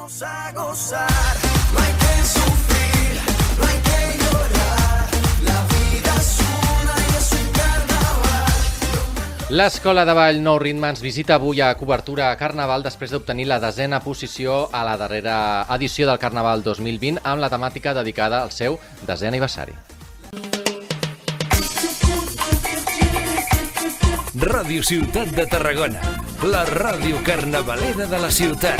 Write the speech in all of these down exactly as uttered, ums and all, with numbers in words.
A gozar, no hay que sufrir, no hay que llorar, la vida es una y es un carnaval. L'Escola de Ball Nou Ritme ens visita avui a cobertura a Carnaval després d'obtenir la desena posició a la darrera edició del Carnaval dos mil vint amb la temàtica dedicada al seu desè aniversari. Ràdio Ciutat de Tarragona, la ràdio carnavalera de la ciutat.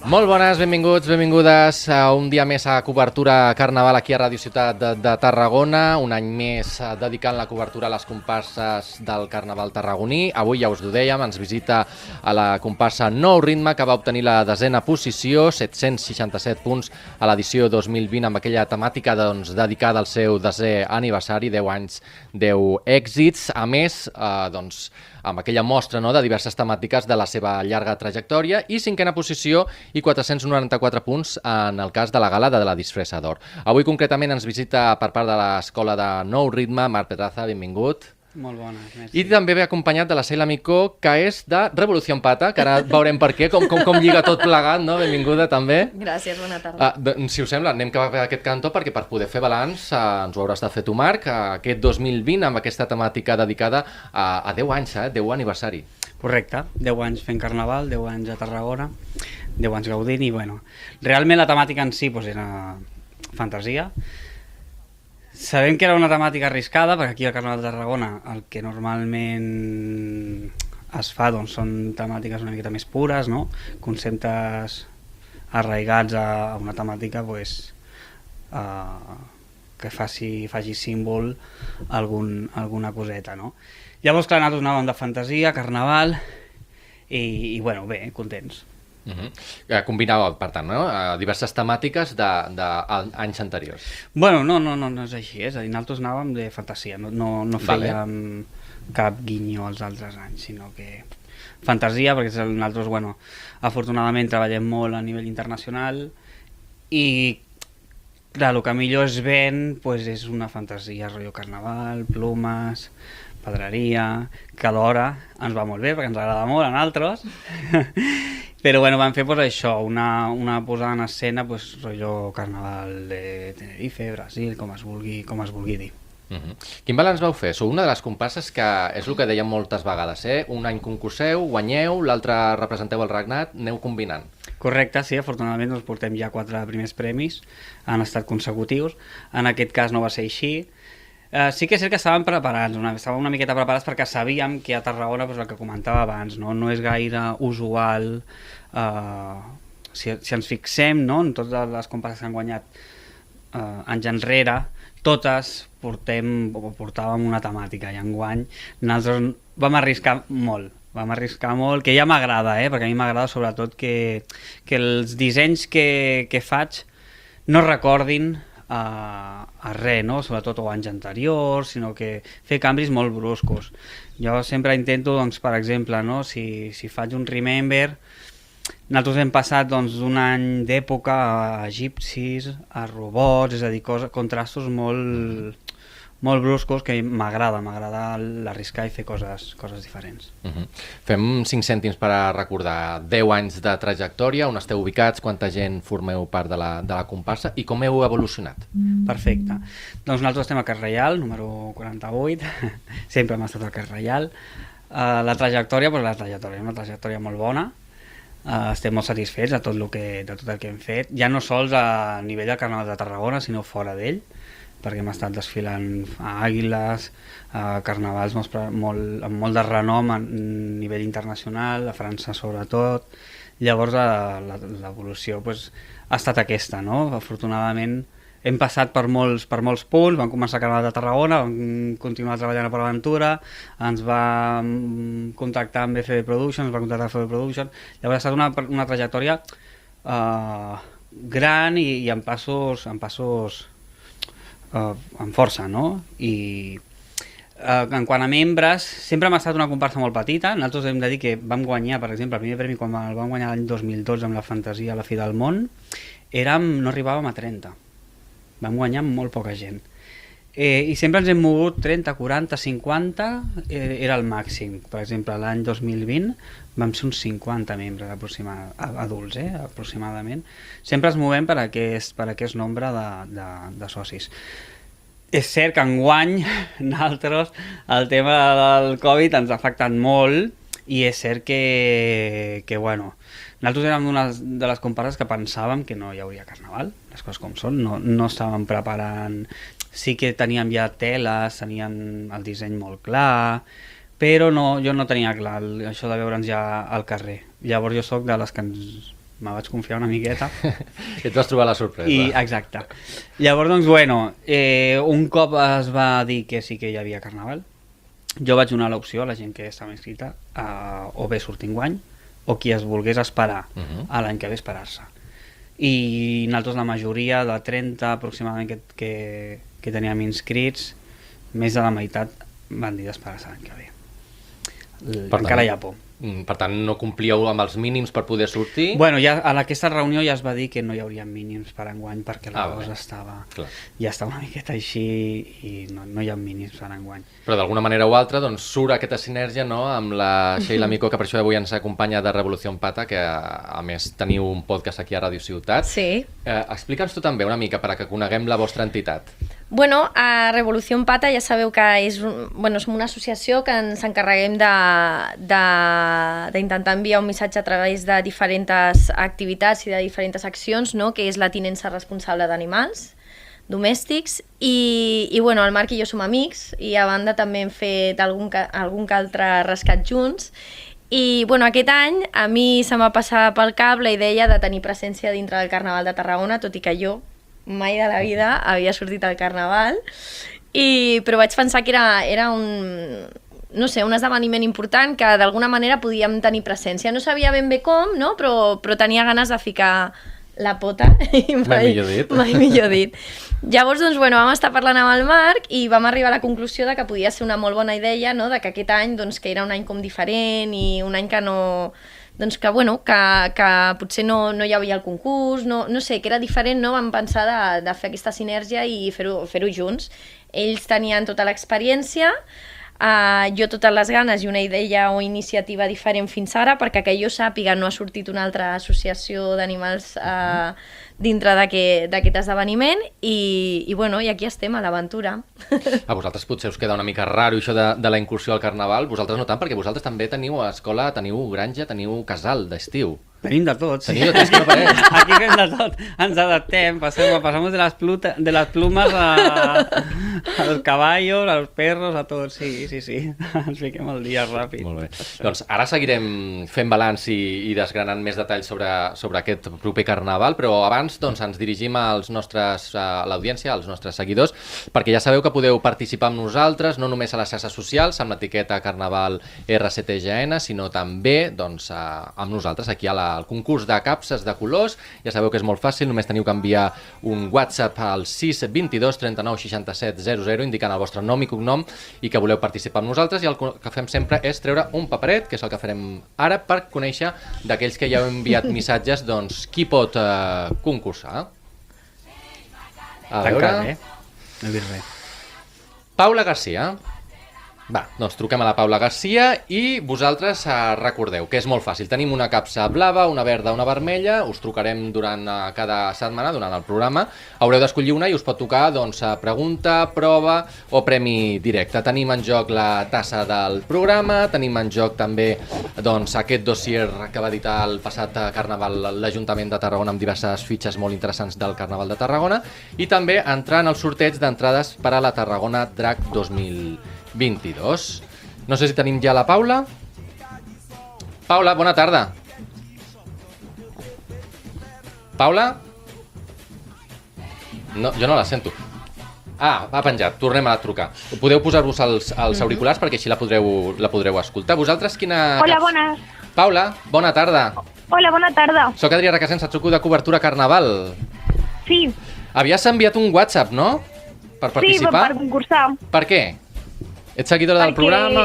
Molt bones, benvinguts, benvingudes a un dia més a cobertura Carnaval aquí a Ràdio Ciutat de, de Tarragona, un any més dedicant la cobertura a les comparses del Carnaval tarragoní. Avui, ja us ho dèiem, ens visita a la comparsa Nou Ritme, que va obtenir la desena posició, set-cents seixanta-set punts a l'edició dos mil vint, amb aquella temàtica doncs, dedicada al seu desè aniversari, deu anys, deu èxits. A més, eh, doncs, amb aquella mostra no, de diverses temàtiques de la seva llarga trajectòria, i cinquena posició i quatre-cents noranta-quatre punts en el cas de la gala de la disfressa d'or. Avui concretament ens visita per part de l'Escola de Nou Ritme, Marc Pedraza, benvingut. Molt bona, merci. I també ve acompanyat de la Sheila Micó, que és de Revolució Pata, que ara veurem per què, com, com, com lliga tot plegat, no? Benvinguda també. Gràcies, bona tarda. Uh, de, si us sembla, anem cap a aquest cantó, perquè per poder fer balanç uh, ens ho hauràs de fer tu, Marc, uh, aquest dos mil vint amb aquesta temàtica dedicada a, a deu anys, eh? deu aniversari. Correcte, deu anys fent carnaval, deu anys a Tarragona, deu anys gaudint i, bueno, realment la temàtica en si doncs, era fantasia. Sabem que era una temàtica arriscada, perquè aquí al Carnaval de Tarragona el que normalment es fa doncs, són temàtiques una miqueta més pures, no? Conceptes arraigats a una temàtica pues, uh, que faci, faci símbol algun, alguna coseta. No? Llavors, clar, nosaltres anàvem de fantasia, carnaval, i, i bueno, bé, contents. Uh -huh. Combinava, per tant, no? diverses temàtiques d'anys anteriors. Bueno, no, no, no, no és així, és a dir, nosaltres anàvem de fantasia, no, no, no fèiem vale. cap guinyo als altres anys, sinó que fantasia, perquè nosaltres, bueno, afortunadament treballem molt a nivell internacional i, clar, el que millor es ven pues, és una fantasia, rotllo carnaval, plumes, pedreria, que alhora ens va molt bé, perquè ens agrada molt a nosaltres. Però bueno, vam fer pues, això, una, una posada en escena, pues, rotllo carnaval de Tenerife, Brasil, com es vulgui, com es vulgui dir. Uh -huh. Quin balanç vau fer? Sou una de les comparses que és el que dèiem moltes vegades, eh? Un any concurseu, guanyeu, l'altre representeu el regnat, aneu combinant. Correcte, sí, afortunadament doncs, portem ja quatre primers premis, han estat consecutius, en aquest cas no va ser així. Uh, sí que és cert que estàvem preparats, una, estàvem una miqueta preparats perquè sabíem que a Tarragona, doncs, el que comentava abans, no, no és gaire usual, uh, si, si ens fixem no, en totes les comparses que han guanyat uh, anys enrere, totes portem, o portàvem una temàtica i enguany nosaltres vam arriscar molt, vam arriscar molt, que ja m'agrada, eh, perquè a mi m'agrada sobretot que, que els dissenys que, que faig no recordin a, a res, no? Sobretot o anys anteriors, sinó que fer canvis molt bruscos. Jo sempre intento, doncs, per exemple, no? si, si faig un remember, nosaltres hem passat doncs, d'un any d'època a egipcis, a robots, és a dir, coses, contrastos molt, molt bruscos que m'agrada, m'agrada l'arriscar i fer coses, coses diferents. Uh -huh. Fem cinc cèntims per a recordar deu anys de trajectòria, on esteu ubicats, quanta gent formeu part de la, de la comparsa i com heu evolucionat. Perfecte. Doncs nosaltres estem al Carrer Reial, número quaranta-vuit, sempre hem estat al Carrer Reial. Uh, la trajectòria, doncs la trajectòria, una trajectòria molt bona. Uh, estem molt satisfets de tot, lo que, de tot el que hem fet, ja no sols a nivell del Carnaval de Tarragona, sinó fora d'ell, perquè hem estat desfilant a Àguiles, a carnavals molt, molt, amb molt de renom a nivell internacional, a França sobretot. Llavors l'evolució pues, ha estat aquesta, no? Afortunadament hem passat per molts, per molts punts, vam començar a Carnaval de Tarragona, vam continuar treballant a Port Aventura, ens va contactar amb F B Productions, ens va contactar amb F B Productions, llavors ha estat una, una trajectòria uh, gran i, i amb passos, amb passos uh, amb força, no? I uh, en quant a membres, sempre hem estat una comparsa molt petita, nosaltres hem de dir que vam guanyar, per exemple, el primer premi quan el vam guanyar l'any dos mil dotze amb la fantasia a la Fi del Món, érem, no arribàvem a trenta. Vam guanyar amb molt poca gent. Eh, I sempre ens hem mogut trenta, quaranta, cinquanta, eh, era el màxim. Per exemple, l'any dos mil vint vam ser uns cinquanta membres aproximada, adults, eh, aproximadament. Sempre ens movem per aquest, per aquest nombre de, de, de socis. És cert que enguany nosaltres el tema del Covid ens ha afectat molt i és cert que, que bueno, nosaltres érem una de les comparses que pensàvem que no hi hauria carnaval, les coses com són, no, no estàvem preparant. Sí que teníem ja teles, teníem el disseny molt clar, però no, jo no tenia clar el, això de veure'ns ja al carrer. Llavors jo sóc de les que ens, me vaig confiar una miqueta. I et vas trobar la sorpresa. I, exacte. Llavors, doncs, bueno, eh, un cop es va dir que sí que hi havia carnaval, jo vaig donar l'opció a la gent que estava inscrita a, o bé sortir enguany o qui es volgués esperar uh -huh. a l'any que ve esperar-se. I nosaltres la majoria, de trenta aproximadament que, que, que teníem inscrits, més de la meitat van dir d'esperar-se l'any que ve. Per encara tant, hi ha por. Per tant, no complíeu amb els mínims per poder sortir? Bueno, ja en aquesta reunió ja es va dir que no hi hauria mínims per enguany perquè la ah, cosa bé. estava Clar. ja estava una miqueta així i no, no hi ha mínims per enguany. Però d'alguna manera o altra doncs, surt aquesta sinergia, no?, amb la Sheila Micó, que per això avui ens acompanya de Revolució en Pata, que a més teniu un podcast aquí a Ràdio Ciutat. Sí. Eh, Explica'ns tu també una mica perquè coneguem la vostra entitat. Bueno, a Revolució en Pata ja sabeu que és, un, bueno, som una associació que ens encarreguem d'intentar enviar un missatge a través de diferents activitats i de diferents accions, no?, que és la tinença responsable d'animals domèstics i, i bueno, el Marc i jo som amics i a banda també hem fet algun, algun que altre rescat junts i bueno, aquest any a mi se m'ha passat pel cap la idea de tenir presència dintre del Carnaval de Tarragona, tot i que jo mai de la vida havia sortit al Carnaval, i, però vaig pensar que era, era un, no sé, un esdeveniment important que d'alguna manera podíem tenir presència. No sabia ben bé com, no? però, però tenia ganes de ficar la pota. I mai, mai millor dit. Mai millor dit. Llavors, doncs, bueno, vam estar parlant amb el Marc i vam arribar a la conclusió de que podia ser una molt bona idea, no?, de que aquest any, doncs, que era un any com diferent i un any que no... doncs que, bueno, que, que potser no, no hi havia el concurs, no, no sé, que era diferent, no? Vam pensar de, de fer aquesta sinergia i fer-ho fer-ho junts. Ells tenien tota l'experiència, uh, jo totes les ganes i una idea o iniciativa diferent fins ara, perquè que jo sàpiga no ha sortit una altra associació d'animals uh, dintre d'aquest esdeveniment i, i, bueno, i aquí estem, a l'aventura. A vosaltres potser us queda una mica raro això de, de la incursió al Carnaval, vosaltres no tant, perquè vosaltres també teniu escola, teniu granja, teniu casal d'estiu. Tenim de tot, sí. Teniu de tot, que no pareix. Aquí fem de tot, ens adaptem, passem, passamos de les, pluta, de les plumes a, als caballos, als perros, a tot, sí, sí, sí, ens fiquem el dia ràpid. Molt bé. Doncs ara seguirem fent balanç i, i desgranant més detalls sobre, sobre aquest proper Carnaval, però abans doncs, ens dirigim als nostres, a l'audiència, als nostres seguidors, perquè ja sabeu que podeu participar amb nosaltres, no només a les xarxes socials, amb l'etiqueta Carnaval R C T G N, sinó també doncs, a, amb nosaltres aquí a la el concurs de capses de colors. Ja sabeu que és molt fàcil, només teniu que enviar un WhatsApp al sis dos dos, trenta-nou, seixanta-set, zero zero indicant el vostre nom i cognom i que voleu participar amb nosaltres, i el que fem sempre és treure un paperet, que és el que farem ara, per conèixer d'aquells que ja heu enviat missatges, doncs qui pot eh, concursar. A veure... Tancat, eh? No he vist res. Paula Garcia. Va, doncs truquem a la Paula Garcia i vosaltres eh, recordeu que és molt fàcil. Tenim una capsa blava, una verda, una vermella, us trucarem durant eh, cada setmana, durant el programa. Haureu d'escollir una i us pot tocar doncs, pregunta, prova o premi directe. Tenim en joc la tassa del programa, tenim en joc també doncs, aquest dossier que va editar el passat Carnaval l'Ajuntament de Tarragona amb diverses fitxes molt interessants del Carnaval de Tarragona i també entrar en el sorteig d'entrades per a la Tarragona Drac dos mil vint-i-dos. No sé si tenim ja la Paula. Paula, bona tarda. Paula? No, jo no la sento. Ah, ha penjat, tornem a trucar. Podeu posar-vos els, els auriculars perquè així la podreu, la podreu escoltar. Vosaltres quina... Hola, bones. Paula, bona tarda. Hola, bona tarda. Soc Adrià Requesens, et truco de cobertura Carnaval. Sí. Havies enviat un WhatsApp, no? Per participar? Sí, per concursar. Per què? Ets seguidora del Perquè- programa?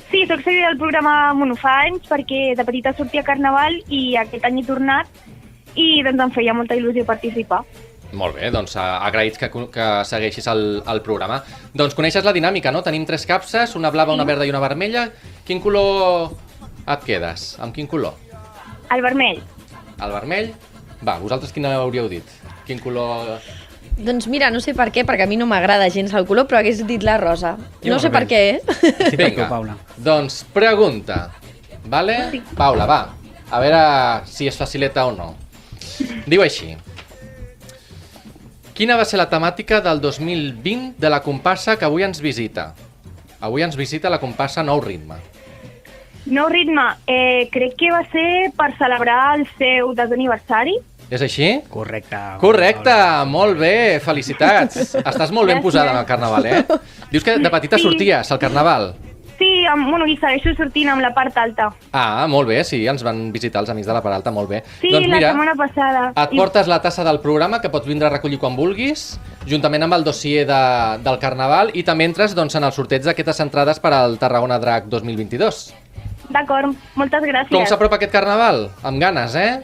Sí, soc seguidora del programa bueno, fa anys perquè de petita sortia a Carnaval i aquest any he tornat i doncs em feia molta il·lusió participar. Molt bé, doncs eh, agraïts que, que segueixis el, el programa. Doncs coneixes la dinàmica, no? Tenim tres capses, una blava, una verda i una vermella. Quin color et quedes? Amb quin color? El vermell. El vermell? Va, vosaltres quin hauríeu dit? Quin color... Doncs mira, no sé per què, perquè a mi no m'agrada gens el color, però hagués dit la rosa. Jo No sé per què, eh? Sí, per tu, Vinga, Paula. doncs pregunta. Vale? Paula, va. A veure si és facileta o no. Diu així. Quina va ser la temàtica del dos mil vint de la comparsa que avui ens visita? Avui ens visita la comparsa Nou Ritme. Nou ritme. Eh, crec que va ser per celebrar el seu desè aniversari. És així? Correcte. Correcte, molt bé, felicitats. Estàs molt ben Gràcies. posada en el carnaval, eh? Dius que de petita Sí. sorties al carnaval. Sí, amb, bueno, i segueixo sortint amb la part alta. Ah, molt bé, sí, ens van visitar els amics de la Peralta, molt bé. Sí, doncs la mira, setmana passada. et portes la tassa del programa que pots vindre a recollir quan vulguis, juntament amb el dossier de, del carnaval, i també entres doncs, en el sorteig d'aquestes entrades per al Tarragona Drac dos mil vint-i-dos. D'acord, moltes gràcies. Com s'apropa aquest carnaval? Amb ganes, eh?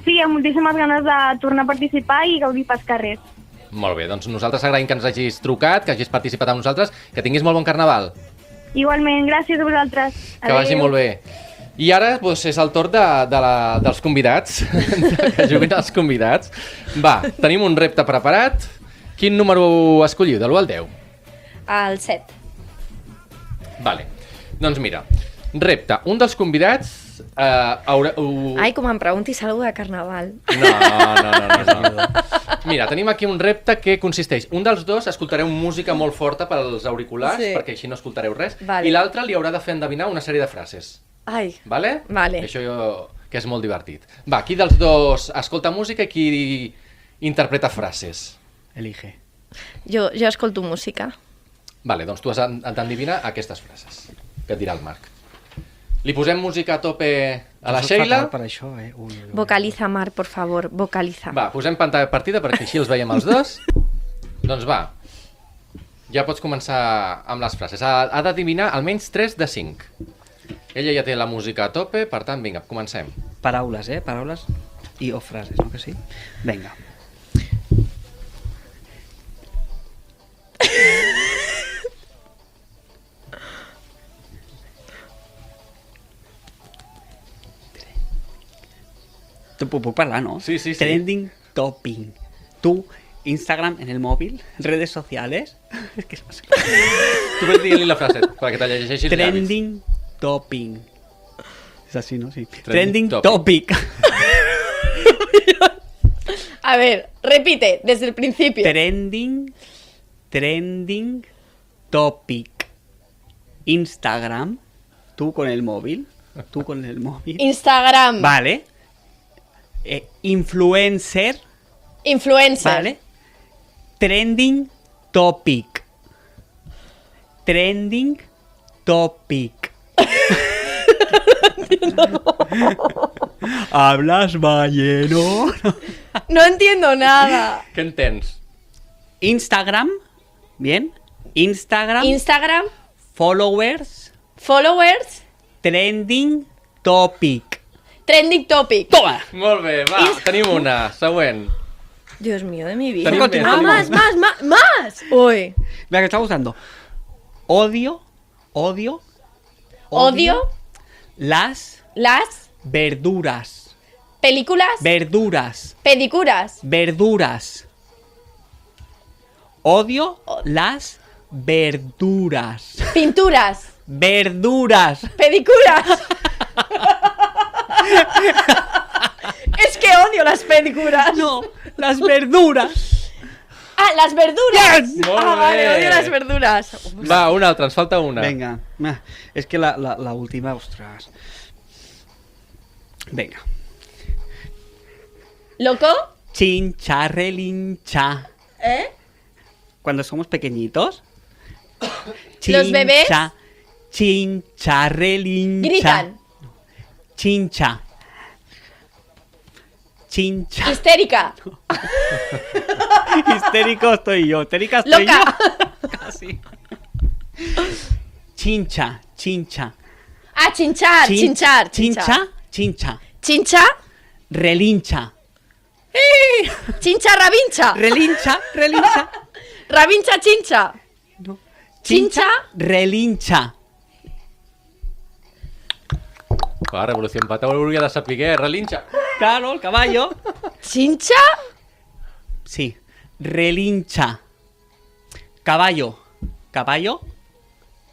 Sí, amb moltíssimes ganes de tornar a participar i gaudir pels carrers. Molt bé, doncs nosaltres agraïm que ens hagis trucat, que hagis participat amb nosaltres, que tinguis molt bon carnaval. Igualment, gràcies a vosaltres. Que vagi molt bé. I ara doncs, és el torn de, de la, dels convidats, que juguin els convidats. Va, tenim un repte preparat. Quin número escolliu, de l'u al deu? El set. Vale. Doncs mira, repte. Un dels convidats eh, haurà... Uh... Ai, com em preguntis alguna de carnaval. No, no, no, no, no. Mira, tenim aquí un repte que consisteix. Un dels dos escoltareu música molt forta pels auriculars, Sí. perquè així no escoltareu res, Vale. i l'altre li haurà de fer endevinar una sèrie de frases. Ai, Vale? Vale. Això jo... que és molt divertit. Va, qui dels dos escolta música i qui interpreta frases? Elige. jo, jo escolto música. Vale, doncs tu has d'endevinar aquestes frases que et dirà el Marc. Li posem música a tope a la Jo soc Sheila? fatal per això, eh? Ui, ui, ui. Vocaliza, Mar, por favor, vocaliza. Va, posem pantalla partida perquè així els veiem els dos. Doncs va, ja pots començar amb les frases. Ha, ha d'adivinar almenys tres de cinc. Ella ja té la música a tope, per tant, vinga, comencem. Paraules, eh? Paraules i o frases, no que sí? Vinga. Tu puc, puc parlar, no? Sí, sí, sí. Trending topping. Tu, Instagram en el móvil, redes sociales. Es que no sé. Tu pots dir-li la frase perquè te llegeixi els llavis. Trending topping. Es así, ¿no? Sí. Trending Trending, topic. topic. A ver, repite, desde el principio. Trending, trending topic. Instagram, tú con el móvil, tú con el móvil. Instagram. Vale. Eh, influencer, Influencer. vale. Trending topic. Trending topic. Hablas balleno. No entiendo nada. Què entens? Instagram, bien. Instagram, Instagram, followers, followers, trending topic. trending topic. Toma. Molt bé, va, tenim una. Següent. Dios mío de mi vida. Tenim més, Ah, tenim más, més. más, más, más. Uy. Mira que está gustando. Odio, odio, Odio las las verduras. películas, Verduras. pedicuras, Verduras. Odio las verduras. pinturas, Verduras. pedicuras. Es que odio las pedicuras. No, las verduras. Ah, las verduras. Molt Ah, vale, bé. odio las verduras. Va, una altra, ens falta una. Venga. Ah, es que la, la, la última, ostras. Venga. ¿Loco? Chincharrelincha. ¿Eh? Cuando somos pequeñitos. ¿Los bebés? Chincha, Chincharrelincha. Gritan. Chincha. Chincha. Histérica. Histérico estoy yo. Histérica estoy Loca. yo. Casi. Chincha. Chincha. Ah, chinchar, Chin- chinchar, Chincha. Chincha. Chincha. Relincha. Chincha. Xinxa, rabinxa. Relinxa, relinxa. Rabinxa, xinxa. No. Xinxa. Relinxa. Clar, Revolució en Pata ho hauria de saber, relinxa. Claro, el caballo. Xinxa. Sí, relinxa. Caballo. Caballo.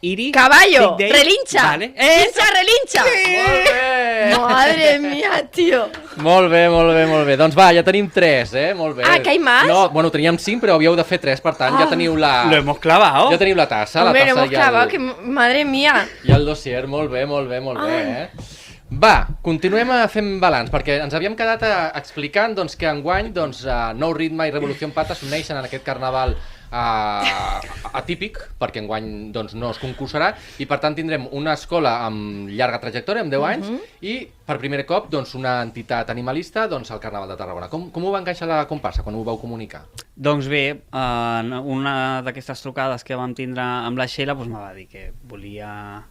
Iri. Caballo. Big Day. Relinxa. Vale. Eso. Xinxa, relinxa. Molt bé! Madre mía, tío. Molt bé, molt bé, molt bé. Doncs va, ja tenim tres, eh? Molt bé. Ah, que hay más? No, bueno, teníem cinc, però havíeu de fer tres, per tant, ja teniu la... Lo hemos clavado. Ja teniu la tassa, la Hombre, tassa hemos i clavado, el, que madre mía. i el dossier. Molt bé, molt bé, molt bé, eh? Va, continuem a fent balanç, perquè ens havíem quedat a, explicant doncs, que enguany doncs, uh, Nou Ritme i Revolució en Pata s'uneixen en aquest carnaval uh, atípic, perquè enguany doncs, no es concursarà, i per tant tindrem una escola amb llarga trajectòria, amb deu anys, uh -huh. i per primer cop doncs, una entitat animalista doncs, al Carnaval de Tarragona. Com, com ho va encaixar la comparsa quan ho vau comunicar? Doncs bé, en una d'aquestes trucades que vam tindre amb la Sheila doncs, me va dir que volia...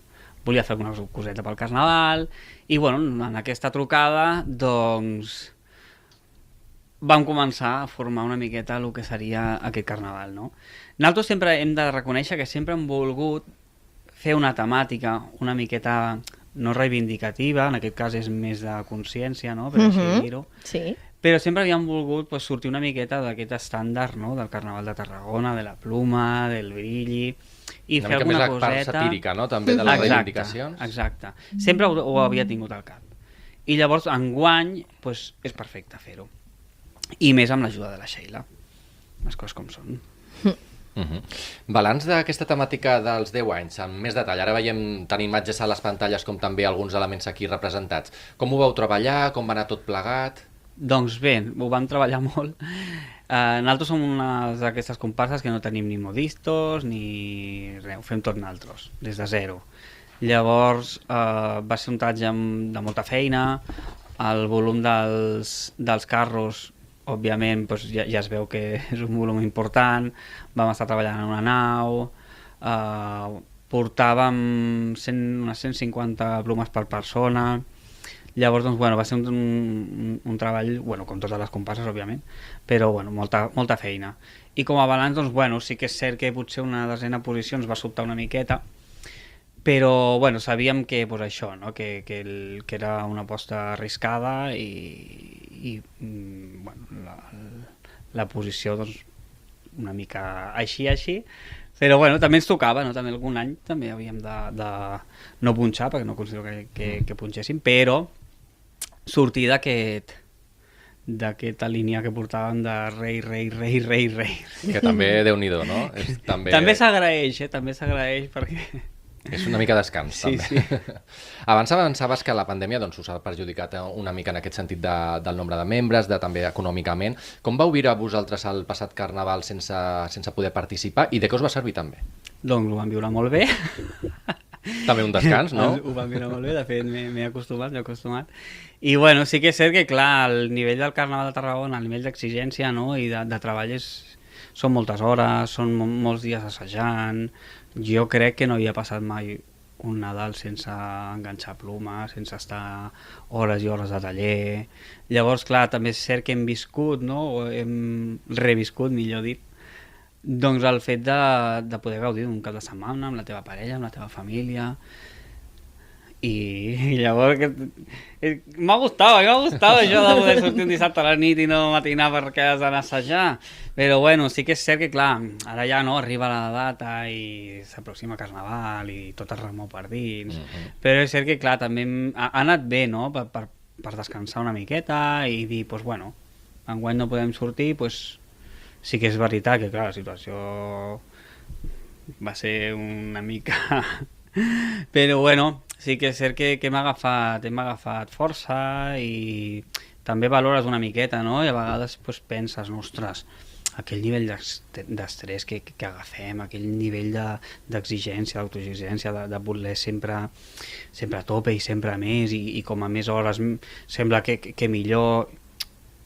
volia fer una coseta pel Carnaval i bueno, en aquesta trucada doncs vam començar a formar una miqueta el que seria aquest Carnaval, no? Nosaltres sempre hem de reconèixer que sempre hem volgut fer una temàtica una miqueta no reivindicativa, en aquest cas és més de consciència, no? Per així Mhm. dir-ho. Sí. Però sempre havíem volgut pues, sortir una miqueta d'aquest estàndard, no? Del Carnaval de Tarragona, de la pluma, del brilli... I una fer mica més alguna la part coseta... satírica, no? També de les exacte, reivindicacions. Exacte. Sempre ho, ho havia tingut al cap. I llavors, enguany, pues, és perfecte fer-ho. I més amb l'ajuda de la Sheila. Les coses com són. Uh -huh. Balanç d'aquesta temàtica dels deu anys, amb més detall. Ara veiem tant imatges a les pantalles com també alguns elements aquí representats. Com ho vau treballar? Com va anar tot plegat? Doncs bé, ho vam treballar molt. Uh, nosaltres som una d'aquestes comparses que no tenim ni modistos ni res, ho fem tot nosaltres, des de zero. Llavors uh, va ser un tatge amb, de molta feina, el volum dels, dels carros, òbviament, doncs ja, ja es veu que és un volum important, vam estar treballant en una nau, uh, portàvem cent, unes cent cinquanta plomes per persona. Llavors, doncs, bueno, va ser un, un, un treball, bueno, com totes les comparses, òbviament, però, bueno, molta, molta feina. I com a balanç, doncs, bueno, sí que és cert que potser una desena posició ens va sobtar una miqueta, però, bueno, sabíem que, pues, això, no?, que, que, el, que era una aposta arriscada i, i bueno, la, la posició, doncs, una mica així, així, però bueno, també ens tocava, no? També algun any també havíem de, de no punxar, perquè no considero que, que, que punxéssim, però sortir d'aquest d'aquesta línia que portàvem de rei, rei, rei, rei, rei. Que també, Déu-n'hi-do, no? És, també també s'agraeix, eh? També s'agraeix perquè... és una mica descans, Sí, també. sí. Abans avançaves que la pandèmia doncs, us ha perjudicat una mica en aquest sentit de, del nombre de membres, de també econòmicament. Com vau viure vosaltres el passat Carnaval sense, sense poder participar i de què us va servir també? Doncs ho vam viure molt bé. També un descans, no? Ho vam viure molt bé, de fet m'he acostumat, m'he acostumat. I bueno, sí que és cert que clar, el nivell del Carnaval de Tarragona, el nivell d'exigència, no?, i de, de treball és, són moltes hores, són molts dies assajant. Jo crec que no havia passat mai un Nadal sense enganxar plomes, sense estar hores i hores de taller. Llavors, clar, també és cert que hem viscut, no?, o hem reviscut, millor dit, doncs el fet de, de poder gaudir d'un cap de setmana amb la teva parella, amb la teva família. I llavors que, eh, m'ha gustat, m'ha gustat això de poder sortir un dissabte a la nit i no matinar perquè has d'anar a assajar. Però bueno, sí que és cert que clar, ara ja no arriba la data i s'aproxima Carnaval i tot es remou per dins. Uh-huh. Però és cert que clar, també hem, ha, ha anat bé, no?, per, per, per descansar una miqueta i dir, doncs bueno, enguany no podem sortir, doncs sí que és veritat que clar, la situació va ser una mica... Però bueno, sí que és cert que, que hem agafat, hem agafat força i també valores una miqueta, no? I a vegades pues, penses, ostres, aquell nivell d'estrès que, que agafem, aquell nivell d'exigència, de, d'autoexigència, de, de voler sempre, sempre a tope i sempre a més i, i com a més hores sembla que, que, que millor,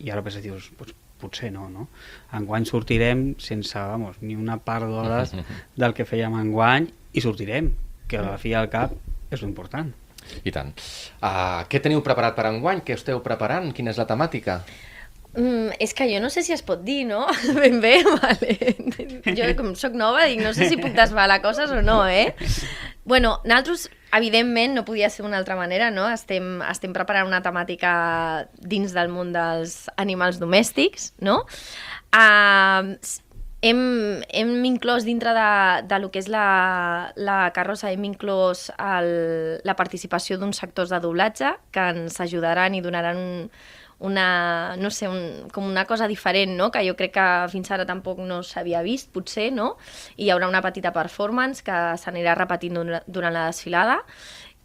i ara penses, dius, pues, potser no, no? Enguany sortirem sense, vamos, ni una part d'hores del que fèiem enguany i sortirem, que a la fi al cap és l'important. I tant. Uh, què teniu preparat per enguany? Què esteu preparant? Quina és la temàtica? Mm, és que jo no sé si es pot dir, no? Ben bé, vale. Jo, com soc nova, dic, no sé si puc desvelar coses o no, eh? Bueno, nosaltres, evidentment, no podia ser d'una altra manera, no? Estem, estem preparant una temàtica dins del món dels animals domèstics, no? Uh, hem, hem inclòs dintre de, de lo que és la, la carrossa, hem inclòs el, la participació d'uns sectors de doblatge que ens ajudaran i donaran un, una, no sé, un, com una cosa diferent, no? Que jo crec que fins ara tampoc no s'havia vist, potser, no? I hi haurà una petita performance que s'anirà repetint durant la desfilada.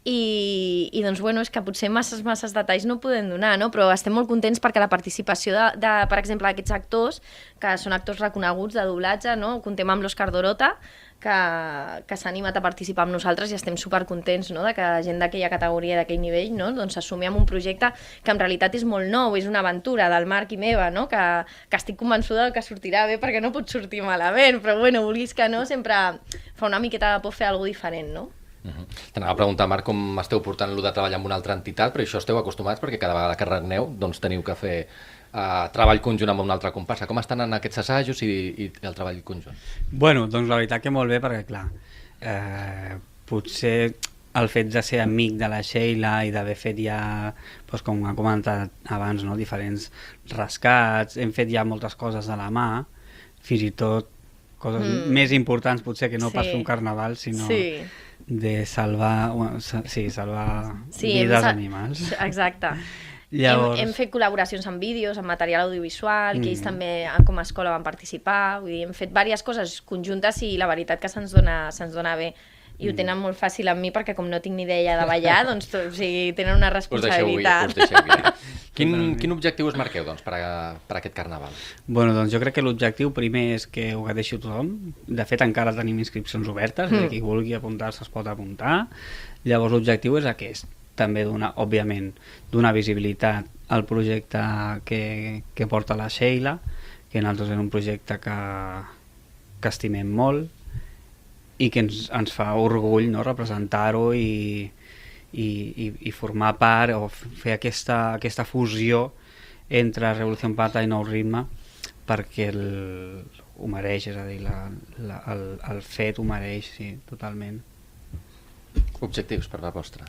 I, i doncs, bueno, és que potser masses, masses detalls no podem donar, no? Però estem molt contents perquè la participació de, de per exemple, d'aquests actors, que són actors reconeguts de doblatge, no? Contem amb l'Òscar Dorota, que, que s'ha animat a participar amb nosaltres i estem supercontents, no? De que gent d'aquella categoria i d'aquell nivell, no? Doncs s'assumi amb un projecte que en realitat és molt nou, és una aventura del Marc i meva, no? Que, que estic convençuda que sortirà bé perquè no pot sortir malament, però bueno, vulguis que no, sempre fa una miqueta de por fer alguna cosa diferent, no? Uh-huh. T'anava a preguntar, Marc, com esteu portant lo de treballar amb una altra entitat, però això esteu acostumats perquè cada vegada que regneu doncs teniu que fer uh, treball conjunt amb una altra comparsa. Com estan en aquests assajos i, i el treball conjunt? Bueno, doncs la veritat que molt bé, perquè clar, eh, potser el fet de ser amic de la Sheila i d'haver fet ja, doncs com ha comentat abans, no? Diferents rescats, hem fet ja moltes coses de la mà, fins i tot coses mm. més importants potser que no sí. pas fer un carnaval, sinó sí. de salvar, sí, salvar sí, vides animals. Exacte. Llavors... Hem, hem fet col·laboracions amb vídeos, amb material audiovisual, mm. que ells també com a escola van participar, vull dir, hem fet diverses coses conjuntes i la veritat que se'ns dona, se'ns dona bé. I ho tenen molt fàcil amb mi perquè com no tinc ni idea de ballar, doncs o sigui, tenen una responsabilitat. Us deixeu guiar. Quin, quin objectiu us marqueu doncs, per, a, per a aquest carnaval? Bueno, doncs jo crec que l'objectiu primer és que ho gaudeixi tothom. De fet, encara tenim inscripcions obertes, mm. qui vulgui apuntar-se es pot apuntar. Llavors l'objectiu és aquest, també donar, òbviament, donar visibilitat al projecte que, que porta la Sheila, que nosaltres és un projecte que, que estimem molt, i que ens, ens fa orgull, no? Representar-ho i, i, i, i formar part o fer aquesta, aquesta fusió entre Revolució Pata i Nou Ritme, perquè el, ho mereix, és a dir, la, la, el, el fet ho mereix, sí, totalment. Objectius per la vostra?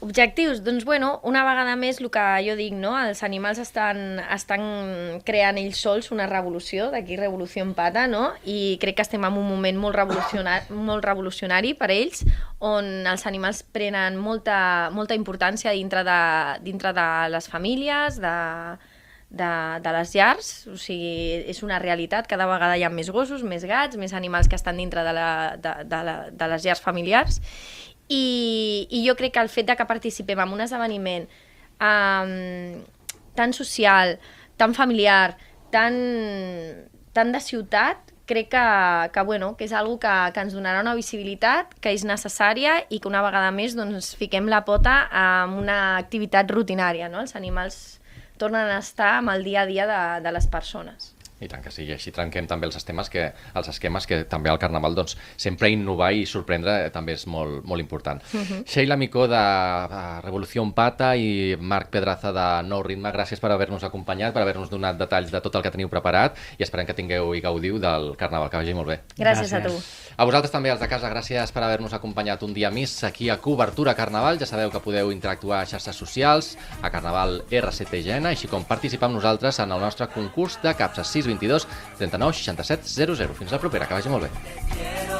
Objectius? Doncs bueno, una vegada més el que jo dic, no? Els animals estan, estan creant ells sols una revolució, d'aquí Revolució en Pata, no? I crec que estem en un moment molt revolucionari, molt revolucionari per ells, on els animals prenen molta, molta importància dintre de, dintre de les famílies, de, de, de les llars, o sigui, és una realitat, cada vegada hi ha més gossos, més gats, més animals que estan dintre de, la, de, de, la, de les llars familiars. I, i jo crec que el fet de que participem en un esdeveniment um, tan social, tan familiar, tan, tan de ciutat, crec que, que, bueno, que és una cosa que, que ens donarà una visibilitat que és necessària i que una vegada més doncs, fiquem la pota en una activitat rutinària, no? Els animals tornen a estar amb el dia a dia de, de les persones. I tant que sí, i així trenquem també els esquemes que, els esquemes que també al Carnaval doncs, sempre innovar i sorprendre també és molt, molt important. Uh-huh. Sheila Micó de Revolució Pata i Marc Pedraza de Nou Ritme, gràcies per haver-nos acompanyat, per haver-nos donat detalls de tot el que teniu preparat i esperem que tingueu i gaudiu del Carnaval, que vagi molt bé. Gràcies, gràcies a tu. A vosaltres també, els de casa, gràcies per haver-nos acompanyat un dia més aquí a Cobertura Carnaval. Ja sabeu que podeu interactuar a xarxes socials, a Carnaval R C T G N, així com participar amb nosaltres en el nostre concurs de capses sis vint dos trenta-nou seixanta-set zero zero. Fins la propera, que vagi molt bé.